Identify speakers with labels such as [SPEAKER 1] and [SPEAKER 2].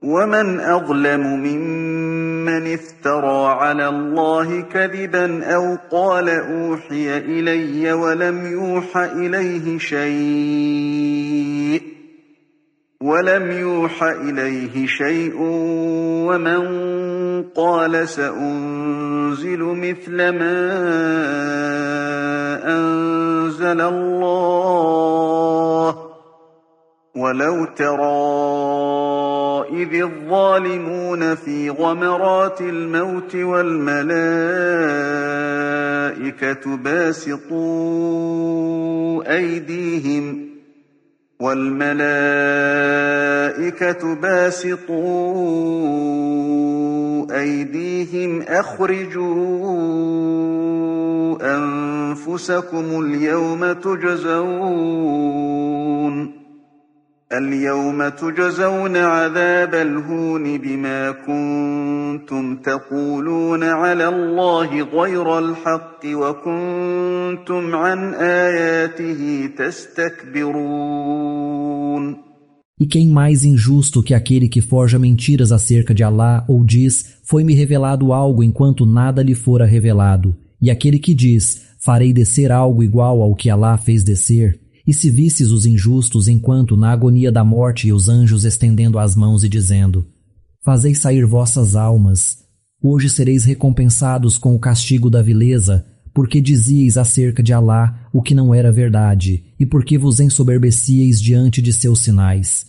[SPEAKER 1] ومن أظلم ممن افترى على الله كذبا أو قال أوحي إلي ولم يوحى إليه شيء ومن قال سأنزل مثل ما أنزل الله ولو ترى إذ الظالمون في غمرات الموت والملائكة باسطوا أيديهم أخرجوا أنفسكم اليوم تجزون عذاب الهون بما كنتم تقولون على الله غير الحق وكنتم عن آياته تستكبرون.
[SPEAKER 2] E quem mais injusto que aquele que forja mentiras acerca de Alá ou diz, foi-me revelado algo enquanto nada lhe fora revelado, e aquele que diz, farei descer algo igual ao que Alá fez descer? E se visses os injustos enquanto na agonia da morte e os anjos estendendo as mãos e dizendo, fazei sair vossas almas, hoje sereis recompensados com o castigo da vileza, porque dizíeis acerca de Alá o que não era verdade, e porque vos ensoberbecíeis diante de seus sinais.